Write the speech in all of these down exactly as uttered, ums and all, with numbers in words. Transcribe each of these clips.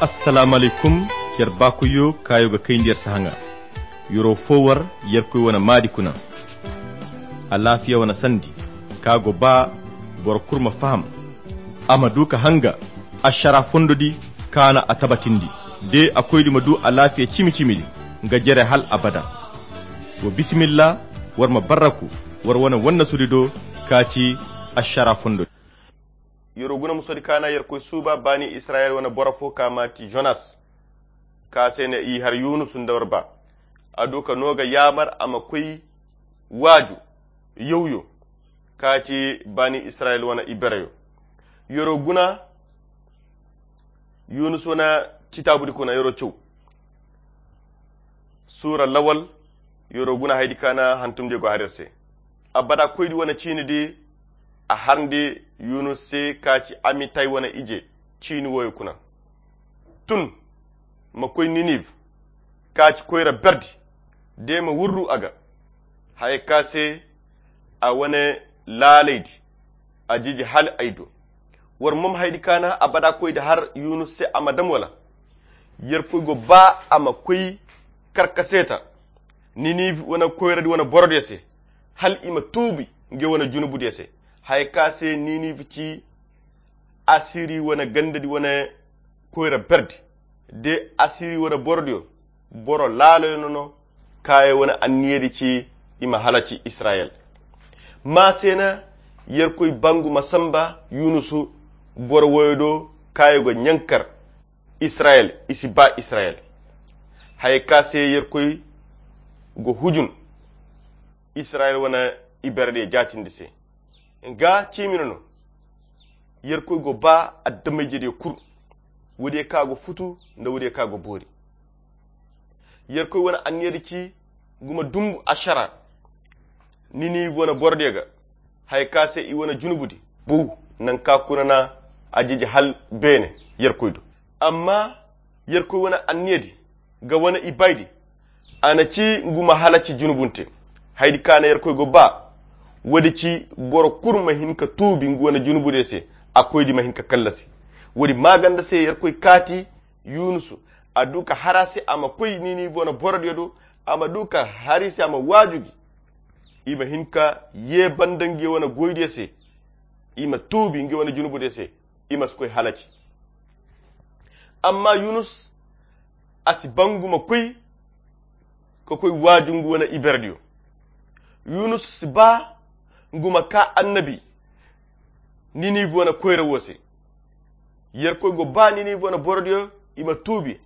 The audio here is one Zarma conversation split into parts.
Assalaamu alaykum. Yer baakoyyo kaayo ga kayndi yer sahaŋa. Yero fo war yerkoy wane maadi kuna. Alaafiya wane sandi ka go ba boro kulu ma faham, a ma du ka hanga ašara fondo di kaana a tabatindi. De a koydi ma du alaafiya cimi-cimi di nga jere hal abada. Wa bisimilla, war ma barraku war wane wannasudi do ka ci ašara fondo di. Yero guna musodi kaana yerkoy suuba baani israyel wane boro fo ka maati jonas, ka se ne i har yunus nda war ba. A du ka no ga yaamar a ma koy waaju yawyo ka ci baani israyel wane ibereyo. Yero guna yunus wane citaabudi kuna yero caw. Suura lawal yero guna haydi kaana hantumdiyo go har yer se. Abada koydi wane ciini di a harndi yunus se ka ci amitay wane ije ciini woyo kuna. Tun ma koy niniv ka ci koyra berdi de ma wurru a ga haya ka se a wane laalaydi a jiji hal ay do. War mom haydi kaana abada koydi har yunus se a ma dam wala yerkoy go ba a ma koy karkaseta niniv wane koyradi wane borodiyo se hal i ma tuubi nge wane junubudiyo se. Haya ka se niniv ci asiri wane gandadi wane koyra berdi de asiri wane borodiyo boro laaloyo no no. Kaayo wane anniyadi ci i ma halaci israyel. Ma se na yerkoy bangu ma samba yunusu boro woyo do kaayo ga ɲankar israyel i si ba israyel. Haya ka se yerkoy go hujun israyel wane iberediyo jaatindi se. Nga ciimi no no yerkoy go ba addamayjediyo kul woodiyo ka go futu nda woodiyo ka go boori. Yerkoy wane anniyadi ci guma dumbu ašara niniv wane borodiyo ga haya ka se i wane junubudi bow nanka kuna na a jiji hal beene yerkoy do. Amma yerkoy wane anniyadi ga wane ibaydi a na ci ngu ma halaci junubunte. Haydi kaana yerkoy go ba woodi ci boro kul ma hin ka tuubi ngu wane junubudiyo se a koydi ma hin ka kallasi. Woodi maaganda se yerkoy kaati yunusu a du ka har a se a ma koy niniv wane borodiyo do a ma du ka har i se a ma waaju gi i ma hin ka ye banda ngiyo wane goydiyo se i ma tuubi ngiyo wane junubudiyo se i ma si koy halaci. Amma yunus a si ba ngu ma koy ka koy waaju ngu wane iberediyo. Yunus si ba ngu ma ka annabi niniv wane koyra wo se. Yerkoy go ba niniv wane borodiyo i ma tuubi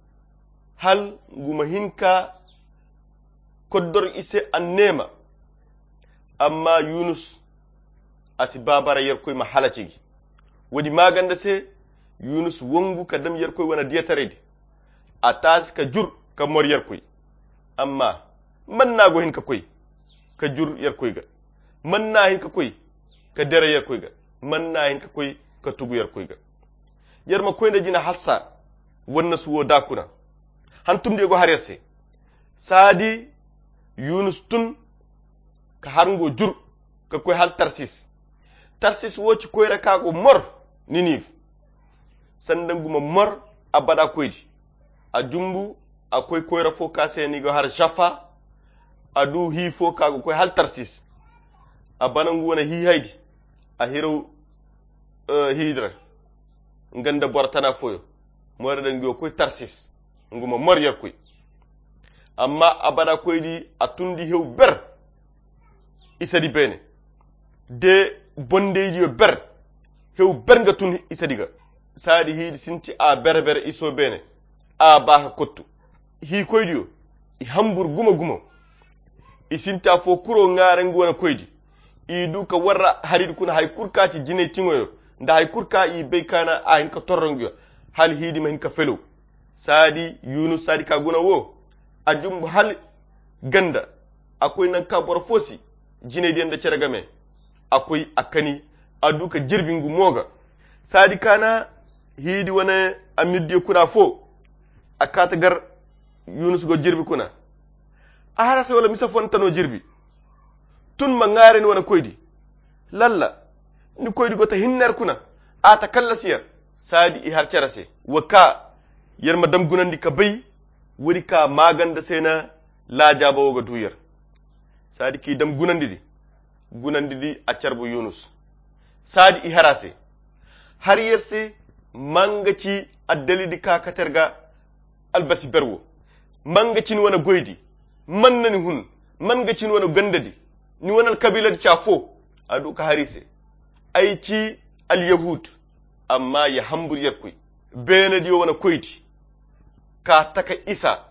hal ngu ma hin ka koddor i se anneema. Amma yunus a si ba bara yerkoy ma halaci gi. Woodi maaganda se yunus wangu ka dam yerkoy wane diyataraydi a taasi ka jur ka mor yerkoy. Amma man na go hin ka koy ka jur yerkoy ga? Man na hin ka koy ka dere yerkoy ga? Man na hin ka koy ka tugu yerkoy ga? Yer ma koy nda jina halsa wannasu wo da kuna hantumdiyo go har yer se. Saadi yunus tun ka har ngo jur ka koy hal tarsis. Tarsis wo ci koyra ka go mor niniv sanda ngu ma mor abada koydi. A jumbu a koy koyra fo ka se ni go har jafa. A du hi fo ka go koy hal tarsis. A bana ngu wane hi haydi a hiraw hidra nga nda boro tana foyo. Moyra da ngu yo koy tarsis ngu ma mor yerkoy. Amma abada koydi a tundi hew ber isa di beene de bondeydiyo ber. Hew ber nga tun isa di ga saadi hiidi sinti a bere-bere iso beene. A ba ka kottu hiikoydiyo i hambur gumo-gumo. I sinti afo kuro ŋaara nga wane koydi. I du ka warra haridi kuna hari kulu ka ti jinay tiŋoyo nda hari kulu ka i bay ka na a hin ka torro nga yo hala hiidi ma hin ka felow. Saadi yunus saadi ka guna wo a jumbu hala ganda. A koy nanka boro fo si jinay diya nda cere game. A koy a kani a du ka jirbi ngu mo ga. Saadi ka na hiidi wane amirdiyo kuna fo a kaata gar yunus go jirbi kuna. A har a se wala mise fonta no jirbi. Tun ma ŋaare ni wane koydi lalla ni koydi go ta hinne yer kuna. A ta kallasi yer saadi i har cere se wa ka Yer ma dam gunandi ka bay, woodi ka maaganda se na laajaaba wo ga du yer. Saadi k'i dam gunandi di, gunandi di a carbu Yunus. Saadi i har a se. Har yer se, manga ci addali di ka kate yer ga albasi ber wo. Manga ci ni wane goy di. Man na ni hun, man ga ci ni wane ganda di. Ni wane alkabiila di ci afo. A du ka har i se. Ay ci alyahud. Amma ya hambur yerkoy. Beene diyo wane koy di. Ka taka isa,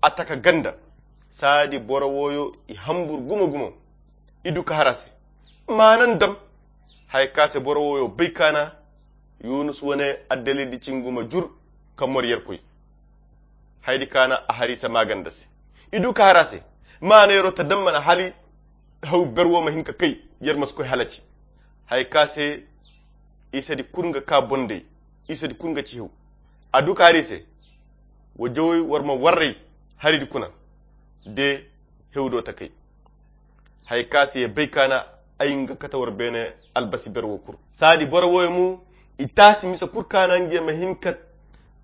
a taka ganda. Saadi boro wooyo i hambur gumo-gumo. I du ka har a se. Maanan dam. Hay ka se boro wooyo bay kaana. Yunus wane addali di cinguma jur ka mor yerkoy. Hay di kaana a har i se maaganda se. I du ka har a se. Maana yero ta dam mana hali. Haw ber wo ma hin ka kay, yer ma si koy halaci. Hay ka se isa di kurnga ka bondey, isa di kurnga ci hew. A du ka hari se. Wa jawey war ma warray hari di kuna. De hew do ta kay. Hay ka se ya bay kaana ay nga kata war beene albasi ber wo kur. Saadi boro woyo mu i taasi misa kur kaana nge ma hin ka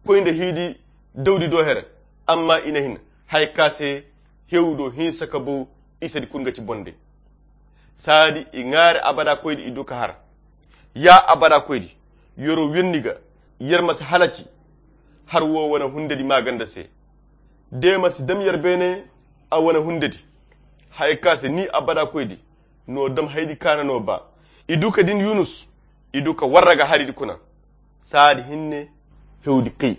koy nda hiidi dawdi do here. Amma i na hin hay ka se hew do hinsa ka bow. Isa di kurnga ci bondey. Saadi i ŋaari abada koy di i du ka har. Ya abada koy di, yero winni ga, yer ma si halaci. Har wo wane hunde di maaganda se. De ma si dam yer beene a wane hunde di. Hay ka se ni abada koy di, no dam hay di kaana no ba. I du ka din Yunus, i du ka warra ga hari di kuna. Saadi hinne hew di kay.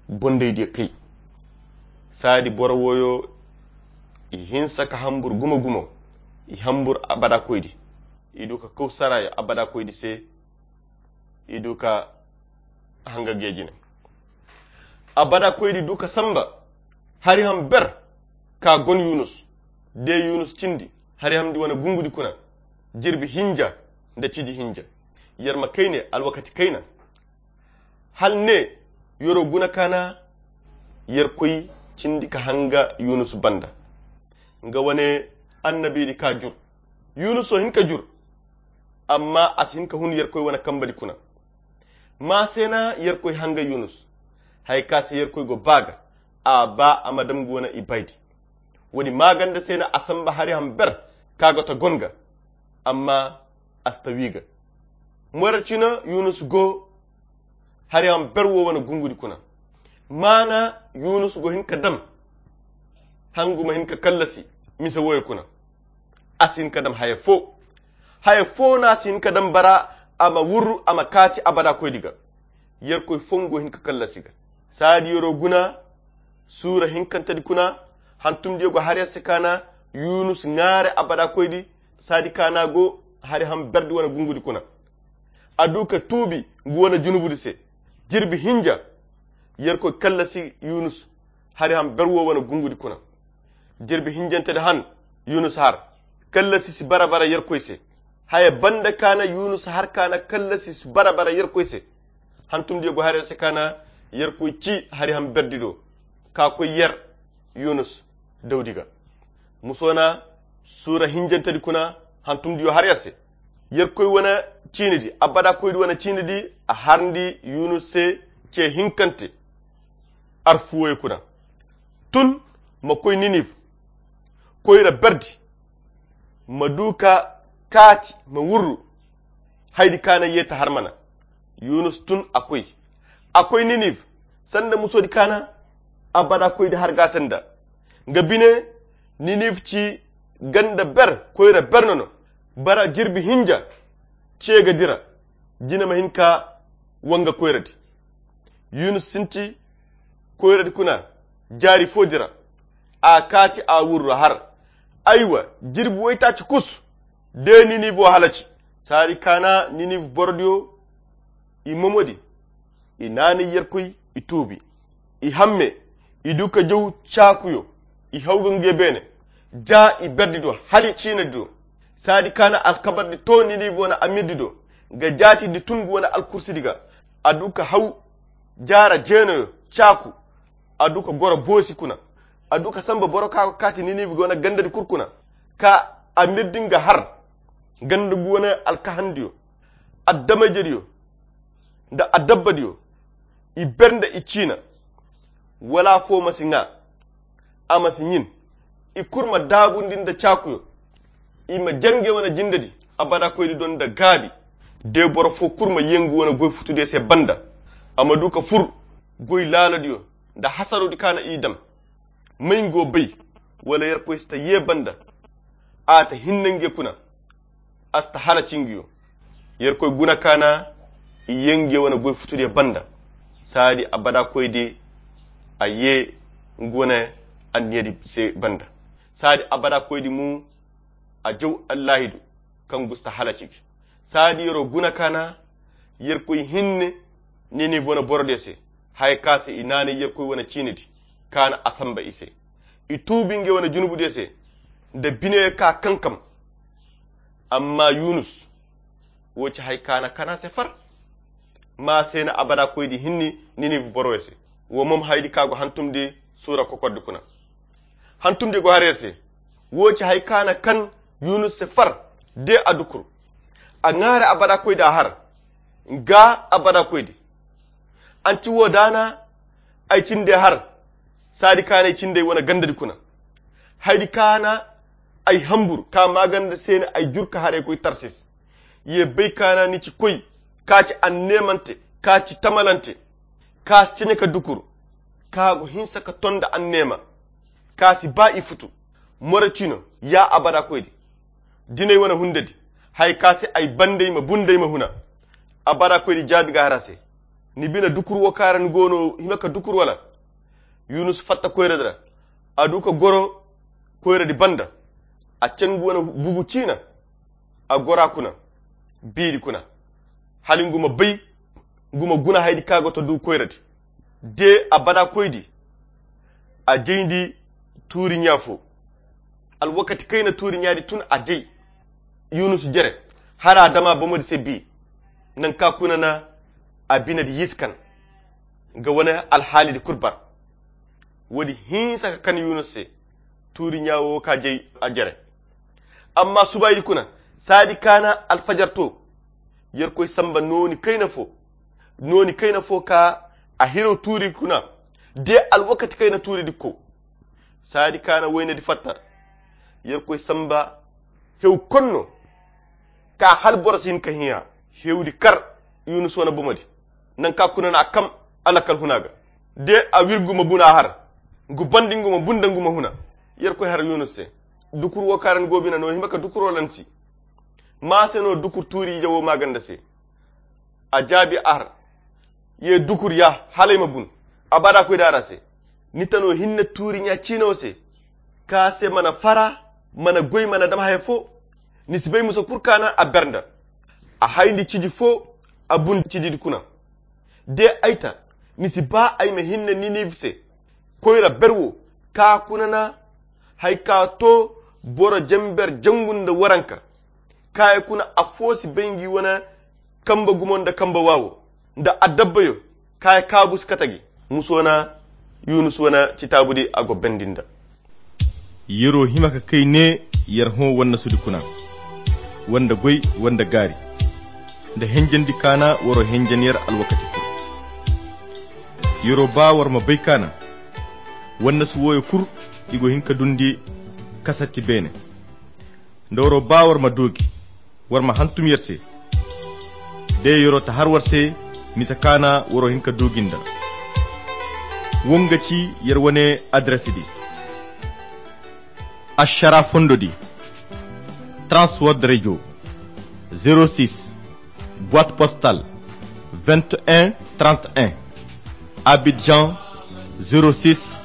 Bondey di kay. Saadi boro woyo i hinsa ka hambur gumo-gumo. I hambur abada koy di. I du ka kaw sarayo abada koy di se. I du ka hanga geejine. Abada koy di du ka samba. Hari ham ber ka gon Yunus. De Yunus cindi hari ham di wane gungu di kuna. Jirbi hinja nda cidi hinja. Yer ma kayne alwakati kayna. Hal ne yero guna kaana. Yer koy cindi ka hanga Yunus banda. Nga wane annabi di ka jur. Yunus so hin ka jur. Amma a si hin ka hun yer koy wane kamba di kuna. Ma se na yer koy hanga Yunus. Hay ka se yer koy go ba ga. A ba a ma dam go wane i bay di. Woodi maaganda se na a samba hari ham ber ka go ta gon ga. Amma a si ta wi ga. Mora cina Yunus go. Hari ham ber wo wane gungu di kuna. Maana Yunus go hin ka dam. Hangu ma hin ka kallasi mise woyo kuna. A si hin ka dam haya fo. Haya fo na a si hin ka dam bara a ma wurru a ma kaati abada koy di ga. Yer koy fongo hin ka kallasi ga. Saadi yero guna. Suura hinkante di kuna. Hantum diyo go hari a se kaana. Yunus ŋaare abada koy di. Saadi kaana go hari ham ber di wane gungu di kuna. A du ka tuubi ngu wane junubu di se. Jirbi hinja. Yer koy kallasi Yunus. Hari ham ber wo wane gungu di kuna. Jirbi hinjante di han Yunus har. Kallasi si bara bara yer koy se. Haya banda kaana Yunus har kaana kallasi si bara bara yer koy se. Hantum diyo go hari a se kaana yer koy ci hari ham ber di do. Ka koy yer Yunus dawdi ga. Muso na suura hinjante di kuna hantum diyo har yer se. Yer koy wane ciini di abada koy di wane ciini di a har ndi Yunus se ce hinkante. Arfuwoy kuna. Tun ma koy Niniv. Koyra ber di. Ma du ka kaati ma wurru. Hay di kaana ye ta har mana. Yunus tun a koy. A koy Niniv. Sanda muso di kaana. Abada koy di har ga sanda. Nga bine Niniv ci ganda ber koyra ber no no. Bara jirbi hinja. Ce ga dira. Jina ma hin ka wanga koyra di. Yunus sinti koyra di kuna jaari fo dira. A kaati a wurru har. Aywa jirbi waytaaci kus. De Niniv wo halaci. Saari kaana Niniv boro diyo. I momo di. I naanay yerkoy i tuubi. I hamme. I du ka jaw caakuyo. I haw ga nge beene. Ja i berdi do hali ciina di do. Saadi kaana alkabar di to Niniv wane amir di do. Nga jaati di tun ga wane alkursi di ga. A du ka haw jaara jeenoyo caaku. A du ka goro boosi kuna. A du ka samba boro ka kaati Niniv ga wane ganda di kul kuna. Ka amir di nga har ganda ga wane alkahandiyo. Adamajediyo nda adabbadiyo. I ber nda i ciina. Wala afo ma si ŋaa, a ma si ɲin. I kulu ma daabundi nda caakuyo. I ma jare ngey wane jinde di abada koydi do nda gaabi. De boro fo kulu ma ye nga wane goy futudiyo se banda, a ma du ka fur goy laaladiyo nda hasarodi kaŋ a na i daŋ. May nga go bay? Wala Yerkoy si ta ye banda, a ta hinne ngey kuna, a si ta halaci ngayo. Yerkoy guna kaana i ye ngey wane goy futudiyo banda. Saadi abada koydi a ye nga wane anniyadi se banda. Saadi abada koydi mo a jaw allaahidu kaŋ gusta halaci. Saadi yero guna kaana Yerkoy hinne Ninive wane borodiyo se, haya ka se i naanay Yerkoy wane ciinidi kaana a samba i se. I tuubi ngey wane junubudiyo se nda bineyo ka kankam. Amma Yunus, wo ci hay kaana kana se far. Ma se na abada koydi hinne Ninive boroyo se. Wo mom haydi ka go hantumdi suura kokordi kuna. Hantumdi go har yer se. Wo ci hay kaana kan Yunus se far, de a dukur. A ŋaari abada koydi a har. Nga abada koydi, an ci wo daana ay cinde har. Saadi kaana ay cindey wane gandadi kuna. Haydi kaana ay hambur ka maaganda se na ay jur ka haray koy Tarsis. Ye bay kaana ni ci koy ka ci anneemante, ka ci tamalante, ka si cene ka dukur, ka go hinsa ka tonda anneema, ka si ba i futu. More cino, ya abada koydi, dinay wane hundadi, hay ka se ay bandey ma bunday ma huna. Abada koydi jaabi ga har a se. Ni bine dukur wo kaara ni go no hima ka dukur wala? Yunus fatta koyradi ra. A du ka goro koyradi banda. A can nga wane bugu ciina. A gora kuna, biiri kuna, hala nga ma bay, nga ma guna haydi ka go to du koyradi. De abada koydi, a jayndi tuuri ɲa fo. Alwakati kayna tuuri ɲaadi tun a jay Yunus jere, hala a dama bomodi se bi. Nanka kuna na a binedi yiskan ga wane alhaalidi kulu bar. Woodi hinsa ka kan Yunus se, tuuri ɲa wo ka jay a jere. Amma subaydi kuna, saadi kaana alfajar to, Yerkoy samba nooni kayna fo, nooni kayna fo ka a hiraw tuuri kuna, de alwakati kayna tuuridi ko. Saadi kaana waynadi fatta, Yerkoy samba hew konno, ka hala boro si hin ka hiya. Hewdi kar Yunus wane bomodi, nanka kuna na a kam a lakkal huna ga. De a wir nga ma buna har, nga bandi nga ma bunda nga ma huna. Yerkoy har Yunus se, dukur wo kaara ni go bine no hima ka dukur wala ni si? Ma se no dukur tuuri ije wo maaganda se? A jaabi a har, ye dukur ya hala ay ma bun. Abada koydi a ra se, ni ta no hinne tuuri ɲa ciino se, ka se mana fara, mana goy, mana dam haya fo. Ni si bay musa kulu kaana a ber nda a hayndi ciji fo, a bun ciji kuna. De ay ta, ni si ba ay ma hinne Ninive se, koyra ber wo, ka kuna na hay ka to boro jamber jangu nda waranka. Kaayi kuna afo si bay ngi wane kamba gumo nda kamba waawo nda adabbayo. Kaayi kaabu si kate gi. Muso na Yunus wane citaabudi a go bendi nda. Yero hima ka kay ne yer hõ wannasudi kuna, wanda goy, wanda gaari, nda henjandi kaana waro henjan yer alwakati kulu. Yero ba war ma bay kaana wannasu wooyo kulu i go hin ka dundi kasatti beene. Nda waro ba war ma doogi, war ma hantum yer se. De yero ta har war se, misa kaana waro hin ka doogi nda. Wo nga ci yer wane adresidi. Ashara fondodi, Transworld Radio, zéro six, boîte postale vingt et un trente et un, Abidjan, zéro six,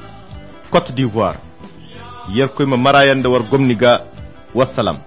Côte d'Ivoire. Yerkoy ma marayan da war gomni ga. Wassalam.